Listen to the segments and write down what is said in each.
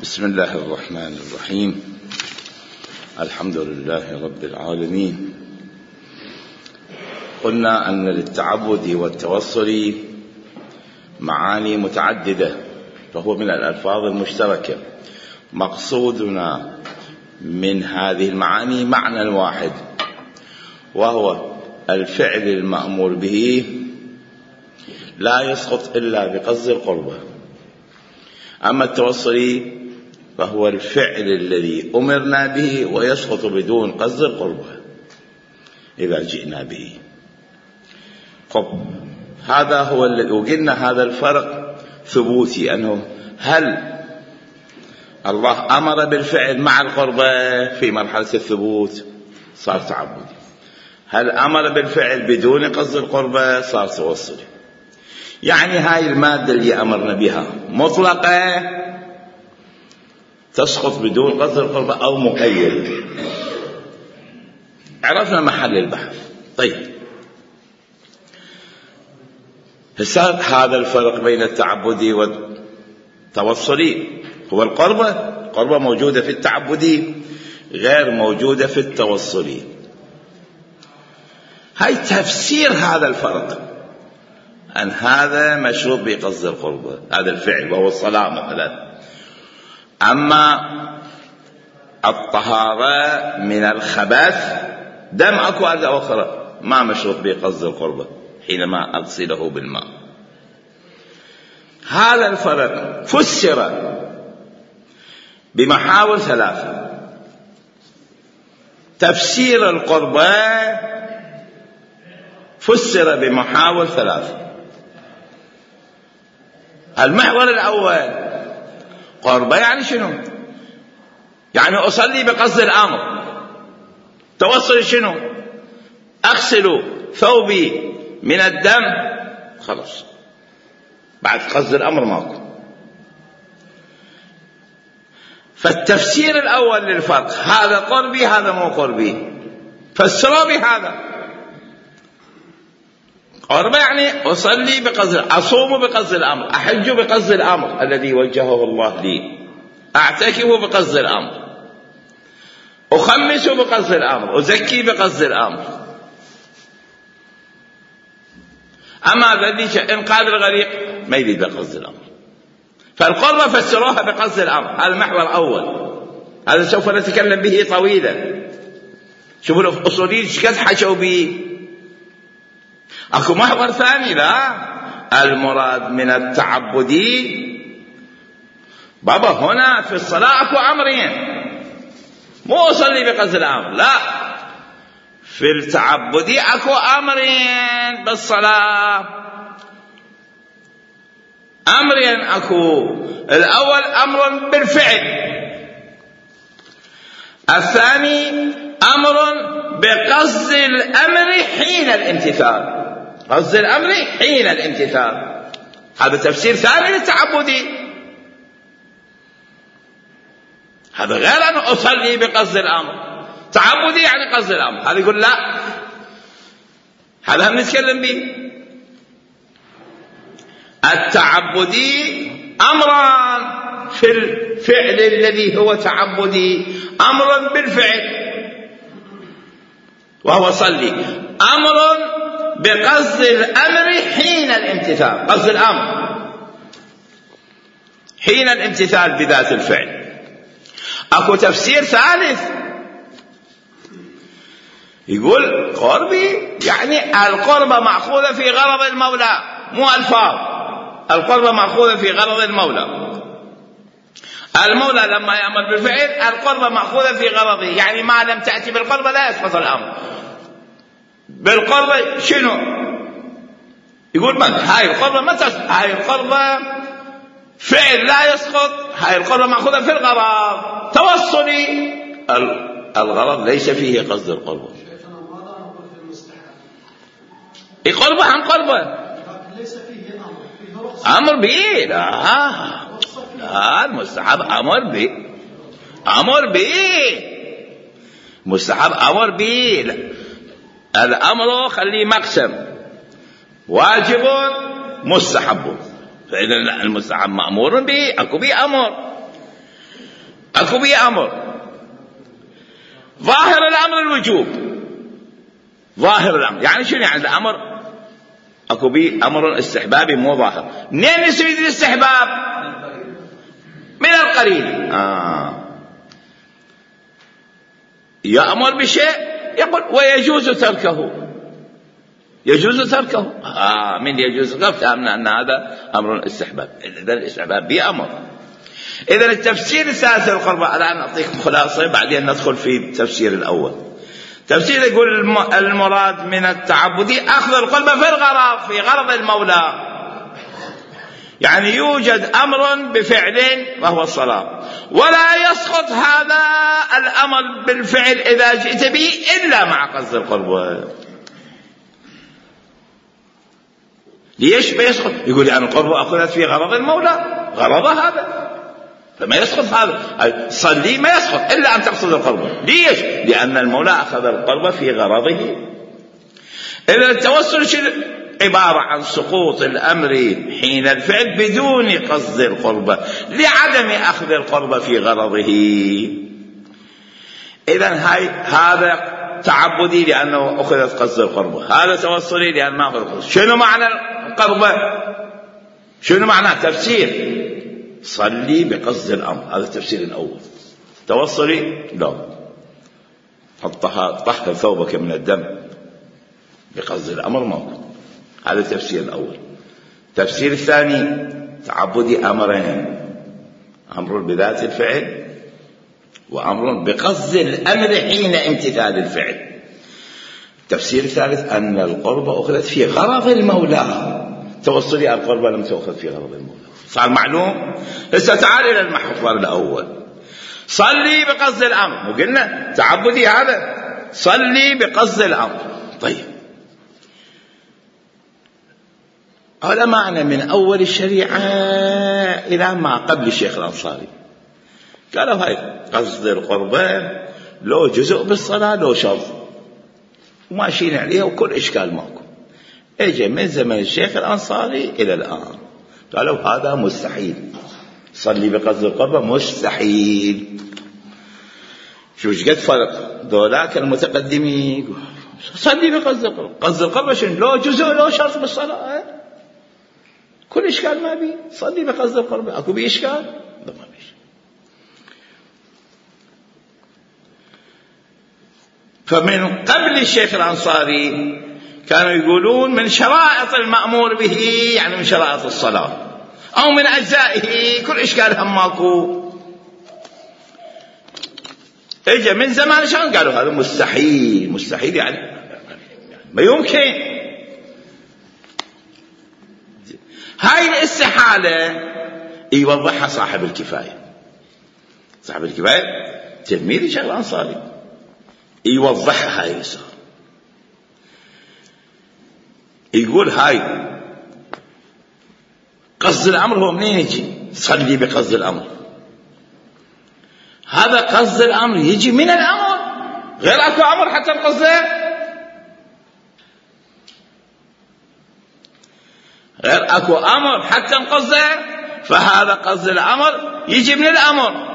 بسم الله الرحمن الرحيم. الحمد لله رب العالمين. قلنا أن للتعبد والتوصل معاني متعددة، فهو من الألفاظ المشتركة. مقصودنا من هذه المعاني معنى واحد، وهو الفعل المأمور به لا يسقط إلا بقصد القربة. أما التوصل فهو الفعل الذي أمرنا به ويسقط بدون قصد القربة إذا جئنا به. هذا هو الذي وقلنا هذا الفرق ثبوتي، أنه هل الله أمر بالفعل مع القربة في مرحلة الثبوت صار تعبدي، هل أمر بالفعل بدون قصد القربة صار توصلي. يعني هاي المادة اللي أمرنا بها مطلقة تسقط بدون قصد القربة أو مقيد. عرفنا محل البحث. طيب، هذا الفرق بين التعبدي والتوصلي هو القربة. القربة موجودة في التعبدي غير موجودة في التوصلي. هاي تفسير هذا الفرق، أن هذا مشروط بقصد القربة، هذا الفعل وهو الصلاة مثلا. أما الطهارة من الخبث دم أكو أرض أخرى ما مشروط بقصد القربة حينما أغسله بالماء. هذا الفرق فسر بمحاور ثلاثة. تفسير القربة فسر بمحاور ثلاثة. المحور الأول، قربة يعني شنو؟ يعني أصلي بقصد الأمر. توصل شنو؟ أغسل ثوبي من الدم، خلاص بعد قصد الأمر ماكو. فالتفسير الأول للفرق، هذا قربي هذا مو قربي، فسروا بهذا. قربة يعني أصلي بقصد، أصوم بقصد الأمر، أحج بقصد الأمر الذي وجهه الله لي، أعتكف بقصد الأمر، أخمس بقصد الأمر، أزكي بقصد الأمر. أما ذلك إنقاذ الغريق ما يريد بقصد الأمر. فالقربة فسروها بقصد الأمر. هذا المحور الأول، هذا سوف نتكلم به طويلا. شوفوا الأصوليين شكد حشوا به. أكو محور ثاني، لا، المراد من التعبدي بابا هنا في الصلاة أكو أمرين، مو أصلي بقصد الأمر، لا، في التعبدي أكو أمرين بالصلاة. أمرين أكو، الأول أمر بالفعل، الثاني أمر بقصد الأمر حين الامتثال. قصد الأمر حين الامتثال، هذا تفسير ثاني للتعبدي. هذا غير أن أصلي بقصد الأمر. تعبدي يعني قصد الأمر، هذا يقول لا، هذا هم نتكلم به. التعبدي أمران في الفعل الذي هو تعبدي، أمر بالفعل وهو صلي، أمر بقصد الأمر حين الامتثال. قصد الأمر حين الامتثال بذات الفعل. أكو تفسير ثالث يقول قربي يعني القربة مأخوذة في غرض المولى، مو ألفاظ. القربة مأخوذة في غرض المولى. المولى لما يأمر بالفعل القربة مأخوذة في غرضه، يعني ما لم تأتي بالقربة لا يسقط الأمر. بالقربة شنو؟ يقول من هاي القربة ما تسقط، هاي القربة فعل لا يسقط، هاي القربة مأخوذة في الغرض. توصلي الغرض ليس فيه قصد القربة. القربة عن قربة ليس فيه أمر به، لا المستحب أمر به، أمر به مستحب أمر به. الأمر خليه مقسم، واجب مستحب، فإذا المستحب مأمور به، أكو به أمر. اكو بيه امر، ظاهر الامر الوجوب، ظاهر الامر يعني شنو؟ يعني الامر اكو بيه امر استحبابي مو ظاهر. منين يستفيد الاستحباب؟ من القرين. يأمر بشيء يقول ويجوز تركه، يجوز تركه. من يجوز تركه فهمنا ان هذا امر استحباب. اذا الاستحباب بأمر. اذا التفسير الثالث للقربة، الان اعطيكم خلاصه بعدين ندخل في التفسير الاول. تفسير يقول المراد من التعبدي اخذ القربة في الغرض، في غرض المولى. يعني يوجد امر بفعل وهو الصلاة، ولا يسقط هذا الامر بالفعل اذا جئت به الا مع قصد القربة. ليش بيسقط؟ يقول يعني القربة اخذت في غرض المولى، غرض هذا فما يسقط هذا. صلي ما يسقط الا ان تقصد القربة. ليش؟ لان المولى اخذ القربة في غرضه. اذا التوسل عبارة عن سقوط الأمر حين الفعل بدون قصد القربة، لعدم أخذ القربة في غرضه. إذن هذا تعبدي لأنه أخذت قصد القربة، هذا توسلي لأن ما أخذ القربة. شنو معنى القربة؟ شنو معنى تفسير؟ صلي بقصد الأمر، هذا التفسير الأول. توسلي لا، طهر ثوبك من الدم بقصد الأمر موجود، هذا التفسير الأول. التفسير الثاني تعبدي أمرين، أمر بذات الفعل وأمر بقصد الأمر حين امتثال الفعل. التفسير الثالث أن القربة أخذت في غرض المولى. توصلي القربة لم تأخذ في غرض المولى. صار معلوم؟ هسه تعال إلى المحور الأول. صلي بقصد الأمر، وقلنا تعبدي هذا صلي بقصد الأمر. طيب علماءنا من أول الشريعة إلى ما قبل الشيخ الأنصاري قالوا هاي قصد القربة لو جزء بالصلاة لو شرط، وماشيين عليها وكل إشكال ماكو. اجى من زمن الشيخ الأنصاري إلى الآن قالوا هذا مستحيل، صلي بقصد القربة مستحيل. شو قد فرق ذولاك المتقدمين صلي بقصد القربة، قصد القربة شنو؟ لو جزء لو شرط بالصلاة كل إشكال ما بي، صلي بقصد القربة. أكو بي إشكال؟ لا ما بي. فمن قبل الشيخ الأنصاري كانوا يقولون من شرائط المأمور به يعني من شرائط الصلاة أو من أجزائه، كل إشكال هم ماكو. إجا من زمان شان قالوا هذا مستحيل، مستحيل يعني ما يمكن. هاي الاستحالة يوضحها صاحب الكفاية. صاحب الكفاية تلميذ الشيخ الأنصاري يوضحها هاي الإسرار. يقول هاي قصد الأمر هو منين يجي؟ صلي بقصد الأمر. هذا قصد الأمر يجي من الأمر، غير أكو أمر حتى القصد، غير أكو أمر حتى القصد، فهذا قصد الأمر يجي من الأمر.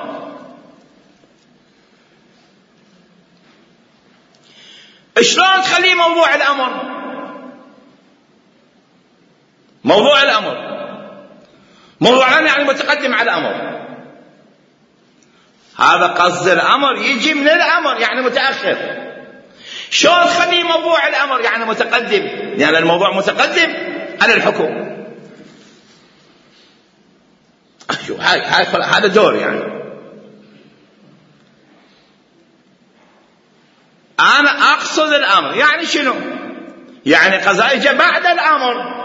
شلون تخليه موضوع الأمر؟ موضوع الأمر موضوع الأمر يعني متقدم على الأمر. هذا قصد الأمر يجي من الأمر يعني متأخر. شلون تخليه موضوع الأمر يعني متقدم؟ يعني الموضوع متقدم على الحكم. هذا دور يعني. أنا أقصد الأمر يعني شنو؟ يعني قضاء إجا بعد الأمر،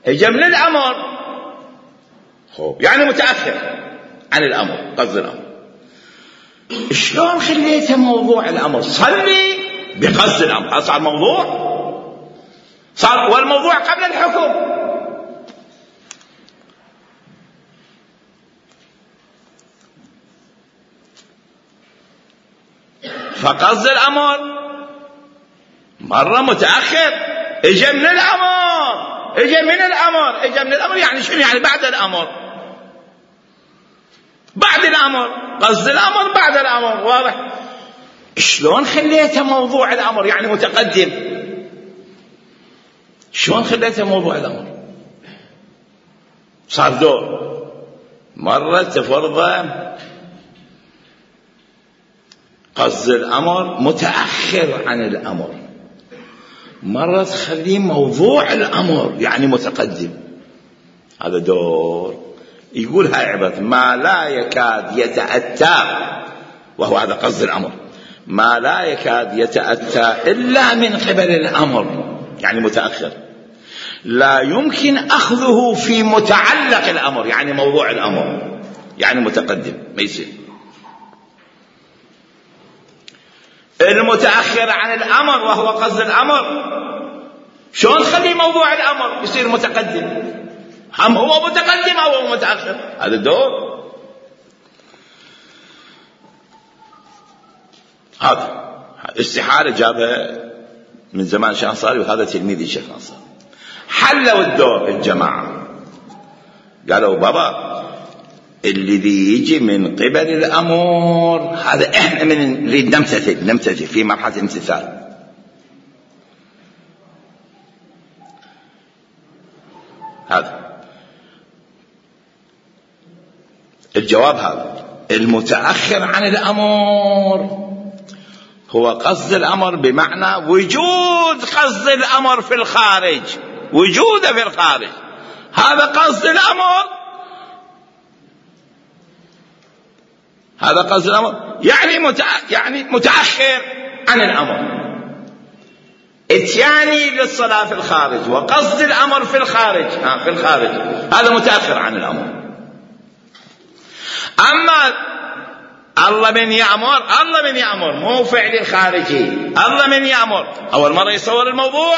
إجا من الأمر، يعني متأخر عن الأمر. قصد الأمر شلون خليته موضوع الأمر؟ صلي بقصد الأمر. صار موضوع، صار والموضوع قبل الحكم. فقصد الأمر مرة متأخر، إجا من الأمر، إجا من الأمر، إجا من الأمر يعني شنو؟ يعني بعد الأمر. بعد الأمر، قصد الأمر بعد الأمر، واضح؟ شلون خليته موضوع الأمر يعني متقدم؟ شلون خليته موضوع الأمر؟ صار دور، مرة تفرض قصد الأمر متأخر عن الأمر، مرة تخليه موضوع الأمر يعني متقدم. هذا دور. يقول هاي عبارة ما لا يكاد يتأتى، وهو هذا قصد الأمر، ما لا يكاد يتأتى إلا من قبل الأمر يعني متأخر، لا يمكن أخذه في متعلق الأمر يعني موضوع الأمر يعني متقدم، ما يصير. المتأخر عن الأمر وهو قصد الأمر شلون نخلي موضوع الأمر يصير متقدم؟ هم هو متقدم أو هو متأخر؟ هذا الدور. هذا استحالة جابها من زمان شيخ نصاري، وهذا تلميذ الشيخ نصاري. حلوا الدور الجماعة، قالوا بابا الذي يجي من قبل الأمر هذا احنا من نريد نمتثل في مرحلة الامتثال. هذا الجواب. هذا المتأخر عن الأمر هو قصد الأمر بمعنى وجود قصد الأمر في الخارج، وجوده في الخارج، هذا قصد الأمر. هذا قصد الأمر يعني متأخر عن الأمر. اتياني للصلاة في الخارج وقصد الأمر في الخارج، في الخارج هذا متأخر عن الأمر. أما الله من يأمر مو فعل الخارجي، الله من يأمر أول مرة يصور الموضوع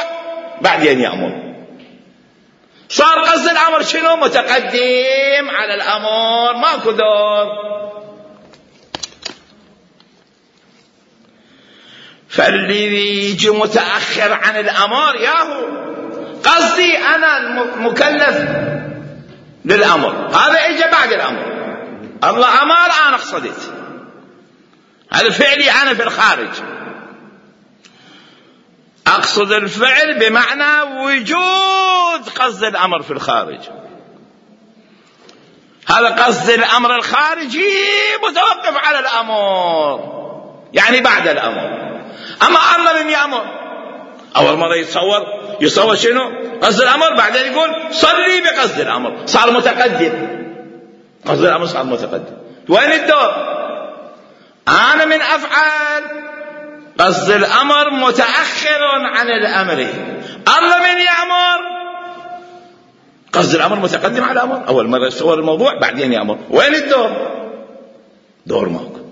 بعدين يأمر، صار قصد الأمر شنو؟ متقدم على الأمر، ماكو دور. فالذي يجي متأخر عن الأمر ياهو قصدي أنا المكلف للأمر، هذا إجا بعد الأمر. الله أمر أنا قصدت، هذا فعلي أنا في الخارج، أقصد الفعل بمعنى وجود قصد الأمر في الخارج. هذا قصد الأمر الخارجي متوقف على الأمر يعني بعد الأمر. أما الله من يأمر أول مرة يصور شنو؟ قصد الأمر، بعدين يقول صلي بقصد الأمر، صار متقدم. قصد الأمر صار متقدم. وين الدور؟ أنا من أفعل قصد الأمر متأخر عن الأمر. الله من يأمر قصد الأمر متقدم على الأمر، أول مرة يصور الموضوع بعدين يأمر. وين الدور؟ دور ماكو.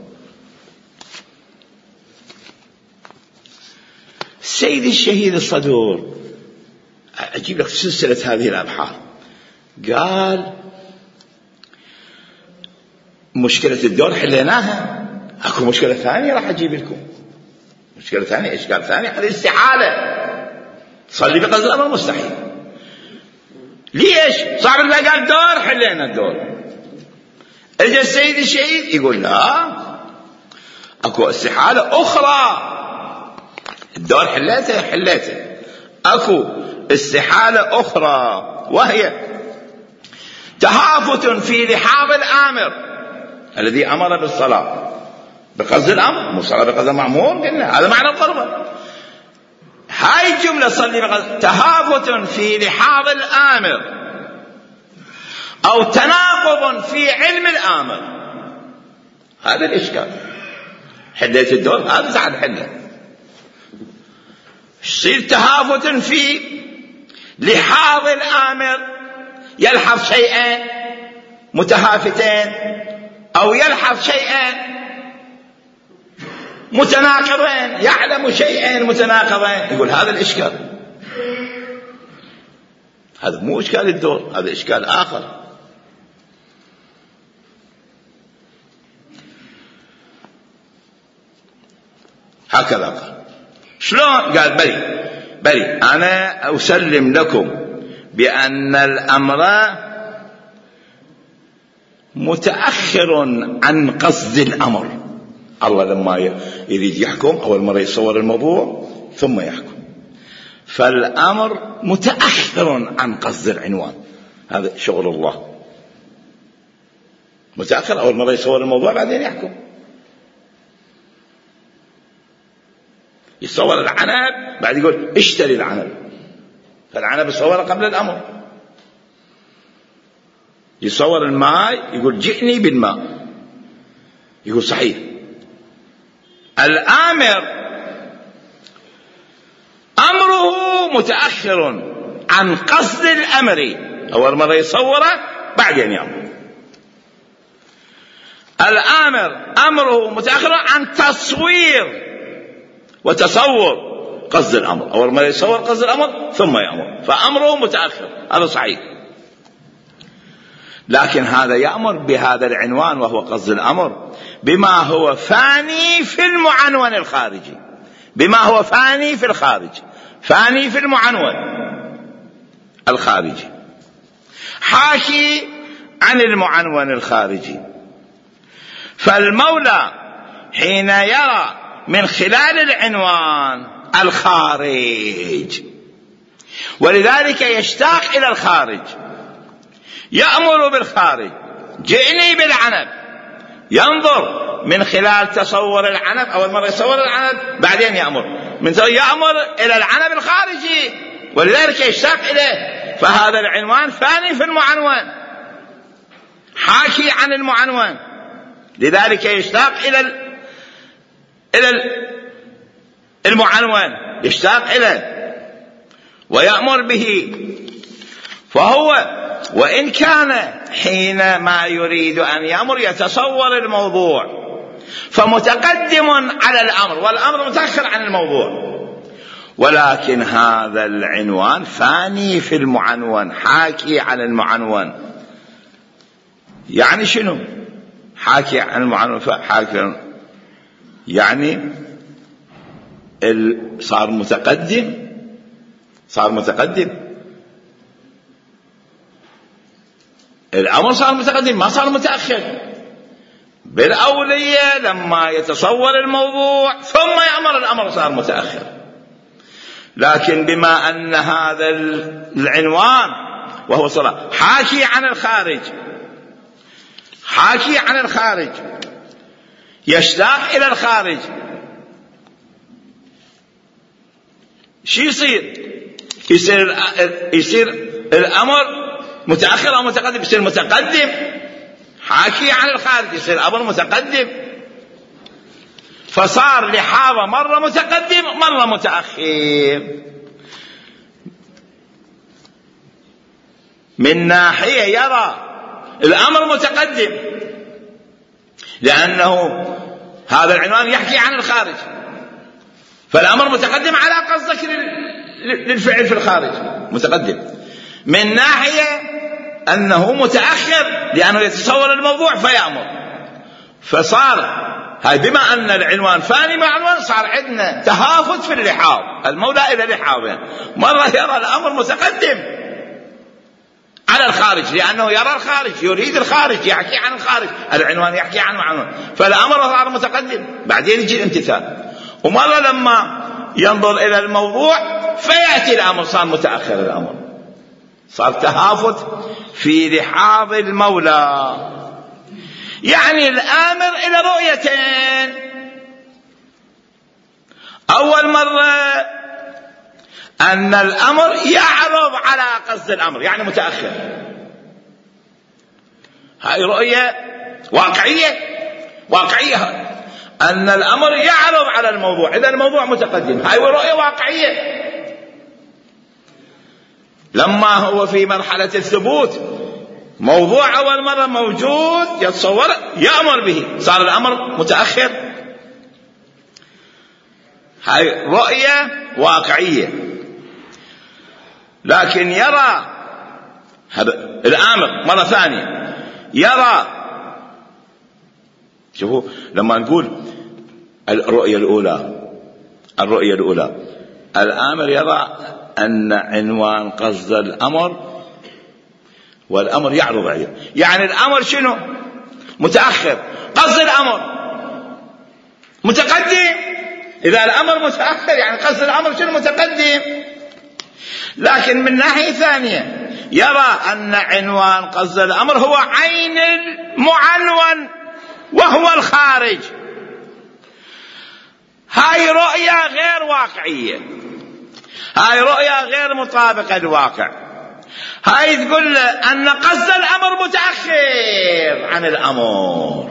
السيد الشهيد الصدور أجيب لك سلسلة هذه الأبحاث، قال مشكلة الدور حليناها، أكو مشكلة ثانية راح أجيب لكم، مشكلة ثانية، إشكال ثاني، هذه استحالة تصلي بقصد الأمر مستحيل. ليش؟ صعب الله قال دور حلينا الدور. اجى السيد الشهيد يقول لا، أكو استحالة أخرى. الدور حليته أكو استحالة أخرى، وهي تهافت في لحاظ الآمر الذي أمر بالصلاة بقصد الأمر، مو صلاة بقصد المأمور، قلنا هذا معنى الضربة. هاي الجملة صلي بقصد، تهافت في لحاظ الآمر أو تناقض في علم الآمر، هذا الإشكال. حليت الدور هذا ساعد حله. يصير تهافت في لحاظ الآمر، يلحظ شيئين متهافتين أو يلحظ شيئين متناقضين، يعلم شيئين متناقضين، يقول هذا الإشكال. هذا مو إشكال الدور، هذا إشكال آخر. هكذا قال. شلون؟ قال بلي أنا أسلم لكم بأن الأمر متأخر عن قصد الأمر. الله لما يريد يحكم أول مرة يصور الموضوع ثم يحكم، فالأمر متأخر عن قصد العنوان. هذا شغل الله، متأخر، أول مرة يصور الموضوع بعدين يحكم. يصور العنب بعد يقول اشتري العنب، فالعنب يصور قبل الأمر. يصور الماء يقول جئني بالماء، يقول صحيح. الآمر أمره متأخر عن قصد الأمر، أول مرة يصوره بعدين يأمر. الآمر أمره متأخر عن تصوير وتصور قصد الأمر، أول مرة يصور قصد الأمر ثم يأمر، فأمره متأخر، هذا صحيح. لكن هذا يأمر بهذا العنوان وهو قصد الأمر بما هو فاني في المعنون الخارجي، بما هو فاني في الخارج، فاني في المعنون الخارجي، حاشي عن المعنون الخارجي. فالمولى حين يرى من خلال العنوان الخارج، ولذلك يشتاق إلى الخارج، يأمر بالخارج، جئني بالعنب، ينظر من خلال تصور العنب، أول مرة يصور العنب بعدين يأمر، من يأمر إلى العنب الخارجي، ولذلك يشتاق إليه. فهذا العنوان فاني في المعنون، حاشي عن المعنون، لذلك يشتاق إلى المعنون، يشتاق إليه ويأمر به. فهو وإن كان حينما يريد أن يأمر يتصور الموضوع فمتقدم على الأمر، والأمر متأخر عن الموضوع، ولكن هذا العنوان فاني في المعنون، حاكي عن المعنون. يعني شنو حاكي عن المعنون؟ حاكي يعني صار متقدم، صار متقدم، الأمر صار متقدم، ما صار متأخر. بالأولية لما يتصور الموضوع ثم يأمر، الأمر صار متأخر. لكن بما أن هذا العنوان وهو صلاة حاكي عن الخارج، حاكي عن الخارج، يشتاق إلى الخارج، شو يصير الأمر متأخر أو متقدم؟ يصير متقدم، حاكي عن الخارج، يصير أمر متقدم. فصار لحاظة مرة متقدم مرة متأخر. من ناحية يرى الأمر متقدم لأنه هذا العنوان يحكي عن الخارج، فالأمر متقدم على قصدك للفعل في الخارج، متقدم. من ناحية أنه متأخر لأنه يتصور الموضوع فيأمر. فصار هاي بما أن العنوان فاني مع عنوان صار عندنا تهافت في اللحاظ، المولى إلى لحاظين، مرة يرى الأمر متقدم على الخارج لأنه يرى الخارج، يريد الخارج، يحكي عن الخارج، العنوان يحكي عن عنوان، فالأمر صار متقدم بعدين يجي الامتثال. ومرة لما ينظر إلى الموضوع فيأتي الأمر صار متأخر، الأمر صار تهافت في لحاظ المولى. يعني الآمر إلى رؤيتين، أول مرة أن الأمر يعرض على قصد الأمر يعني متأخر، هاي رؤية واقعية أن الأمر يعرض على الموضوع، إذا الموضوع متقدم، هاي رؤية واقعية. لما هو في مرحلة الثبوت موضوع أول مرة موجود يتصور يأمر به، صار الأمر متأخر، هاي رؤية واقعية. لكن يرى هذا الآمر مرة ثانية، يرى، شوفوا لما نقول الرؤية الأولى الآمر يرى أن عنوان قصد الأمر والأمر يعرض عليه. يعني الأمر شنو؟ متأخر. قصد الأمر متقدم. إذا الأمر متأخر يعني قصد الأمر شنو؟ متقدم. لكن من ناحية ثانية يرى أن عنوان قصد الأمر هو عين المعنون وهو الخارج. هاي رؤية غير واقعية، هاي رؤية غير مطابقة للواقع. هاي تقول أن قصد الأمر متأخر عن الأمر،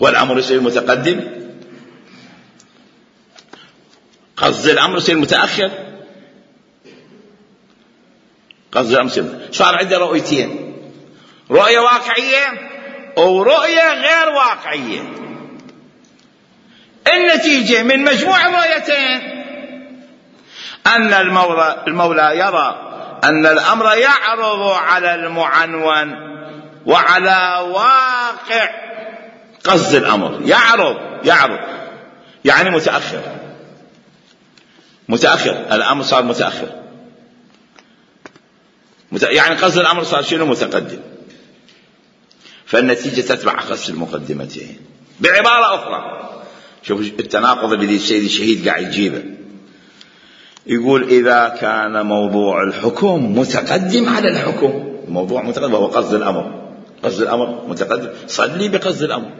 والأمر يصير متقدم، قصد الأمر يصير متأخر، قصد الأمر يصير. صار عنده رؤيتين، رؤية واقعية ورؤية غير واقعية. النتيجة من مجموع الرؤيتين أن المولى يرى أن الأمر يعرض على المعنون وعلى واقع قصد الأمر. يعرض يعني متأخر. الأمر صار متأخر، يعني قصد الأمر صار شنو؟ متقدم. فالنتيجة تتبع قصد المقدمتين. بعبارة أخرى، شوف التناقض الذي السيد الشهيد قاعد يجيبه. يقول إذا كان موضوع الحكم متقدم على الحكم، الموضوع متقدم وهو قصد الأمر، قصد الأمر متقدم، صلي بقصد الأمر،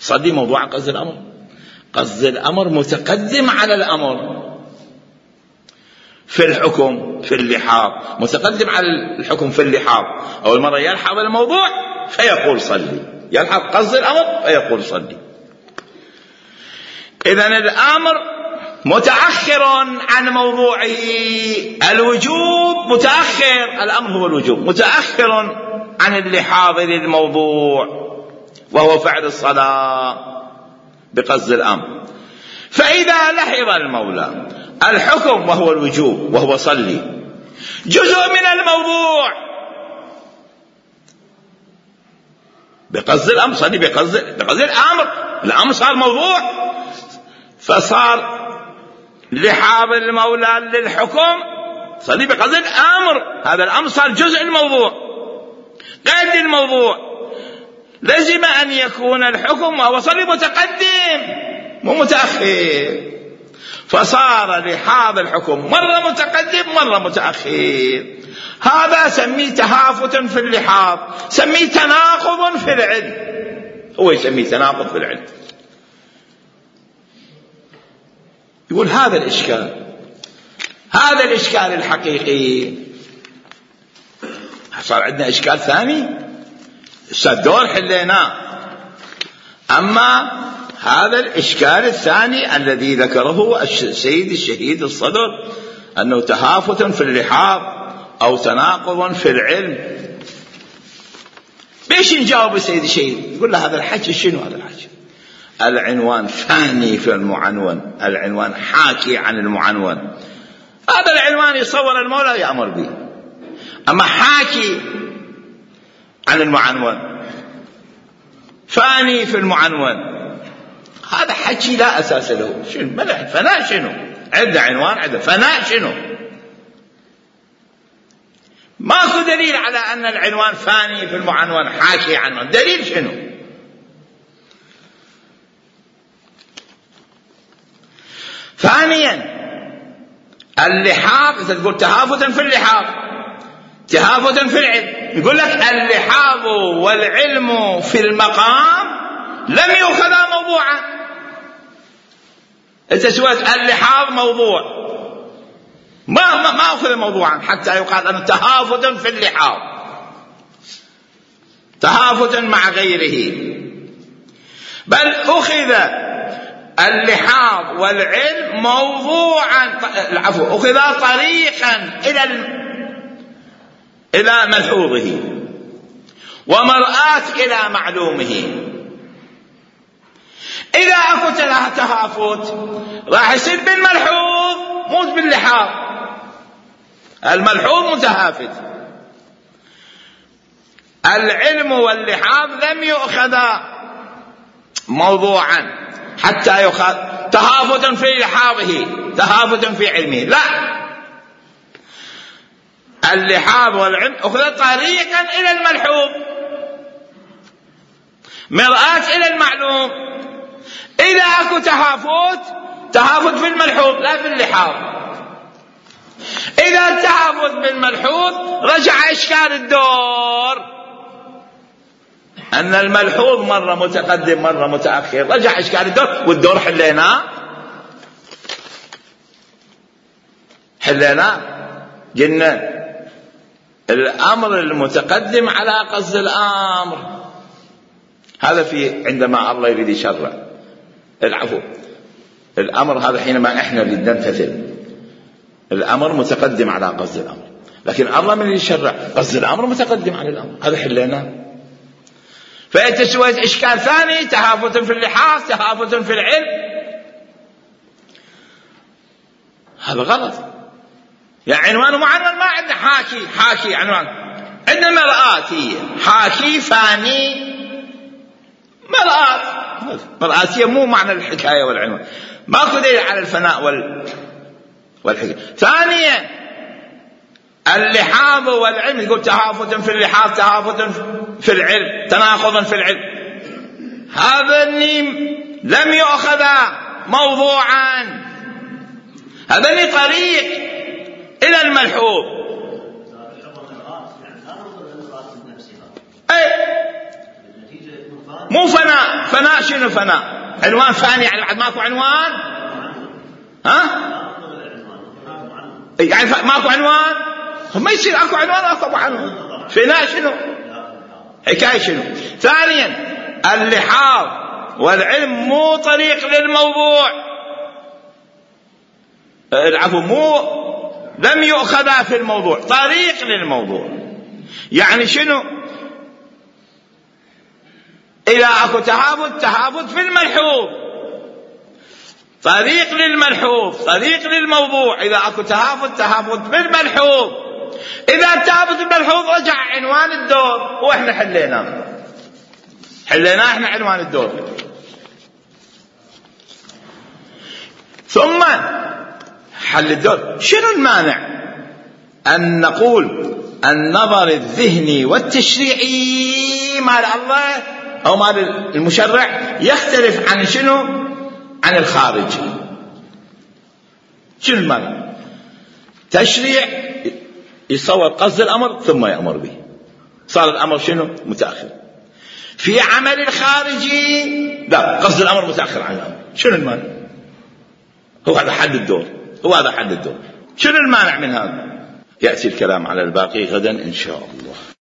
صلي موضوع قصد الأمر. قصد الأمر متقدم على الأمر في الحكم، في اللحاظ متقدم على الحكم في اللحاظ. أول مرة يلحظ الموضوع فيقول صلي، يلحظ قصد الأمر فيقول صلي. إذن الأمر متأخر عن موضوعه الوجوب، متأخر. الأمر هو الوجوب، متأخر عن اللحاظ للموضوع وهو فعل الصلاة بقصد الأمر. فإذا لحظ المولى الحكم وهو الوجوب وهو صلي جزء من الموضوع بقصد الأمر، صلي بقصد الأمر صار موضوع، فصار لحاظ المولى للحكم صلي بقصد الأمر. هذا الأمر صار جزء الموضوع غير الموضوع. لازم أن يكون الحكم وهو صلي متقدم مو متأخر، فصار لحاظ الحكم مرة متقدم مرة متأخر. هذا سميه تهافت في اللحاظ، سميه تناقض في العلم، هو يسميه تناقض في العلم. يقول هذا الإشكال الحقيقي. صار عندنا إشكال ثاني الدور حليناه، أما هذا الإشكال الثاني الذي ذكره السيد الشهيد الصدر أنه تهافت في اللحاظ أو تناقض في العلم. بيش نجاوب السيد الشهيد؟ يقول له هذا الحكي شنو؟ هذا الحكي العنوان فاني في المعنون، العنوان حاكي عن المعنون. هذا العنوان يصور المولى يأمر به، أما حاكي عن المعنون فاني في المعنون، هذا حكي لا أساس له. شنو فناء؟ شنو عند عنوان عند فناء؟ شنو؟ ماكو دليل على أن العنوان فاني في المعنون حاكي عنه. دليل شنو؟ ثانيا اللحاظ، إذا تقول تهافتا في اللحاظ تهافتا في العلم، يقول لك اللحاظ والعلم في المقام لم يؤخذا موضوعا. إذا سويت اللحاظ موضوع ما أخذ موضوعا حتى يقال أنه تهافتا في اللحاظ، تهافتا مع غيره، بل أخذ اللحاظ والعلم موضوعا، العفو، أخذ طريقا إلى ملحوظه ومرآة إلى معلومه. إذا أكو تهافت راح يصير بالملحوظ مو باللحاظ. الملحوظ متهافت، العلم واللحاظ لم يؤخذا موضوعا حتى يؤخذ تهافتا في لحاظه تهافتا في علمه. لا، اللحاظ والعلم أخذ طريقا إلى الملحوظ مرآة إلى المعلوم. إذا أكو تهافت في الملحوظ لا في اللحاظ. إذا التهافت بالملحوظ رجع إشكال الدور، أن الملحوظ مرة متقدم مرة متأخر، رجع إشكال الدور، والدور حليناه قلنا الأمر المتقدم على قصد الأمر. هذا في عندما الله يريد يشرع العفو الأمر، هذا حينما إحنا نريد نمتثل الأمر متقدم على قصد الأمر، لكن الله من يشرع قصد الأمر متقدم على الأمر، هذا حليناه. فأنت سويت إشكال ثاني، تهافت في اللحاظ، تهافت في العلم، هذا غلط. يعني عنوان ومعنون ما عندنا حاكي عنوان، عندنا مرآة هي حاكي فاني مرآة هي مو معنى الحكاية والعنوان، ماكو دليل على الفناء والحكاية. ثانيا اللحاظ والعلم، يقول تهافت في اللحاظ تهافت في العلم، تناقض في العلم، هذا لم يؤخذ موضوعا، هذا طريق إلى الملحوظ. مو فناء شنو فناء؟ عنوان ثاني يعني بعد ماكو عنوان، يعني ماكو عنوان، ما يصير اكو عنوان واكو عنوان. فناء شنو؟ حكاية شنو؟ ثانيا اللحاظ والعلم مو طريق للموضوع، العفو لم يؤخذ في الموضوع، طريق للموضوع. يعني شنو؟ إذا أكو تهافت في الملحوظ، طريق للملحوظ، طريق للموضوع. إذا أكو تهافت بالملحوظ، إذا التهافت بالملحوظ رجع عنوان الدور، وإحنا حليناه إحنا عنوان الدور. ثم حل الدور. شنو المانع أن نقول النظر الذهني والتشريعي مال الله أو مال المشرع يختلف عن شنو؟ عن الخارج. شنو المانع؟ تشريع يصور قصد الأمر ثم يأمر به، صار الأمر شنو؟ متأخر. في عمل الخارجي لا، قصد الأمر متأخر عن الأمر. شنو المانع؟ هو هذا حد الدور، شنو المانع من هذا؟ يأتي الكلام على الباقي غدا إن شاء الله.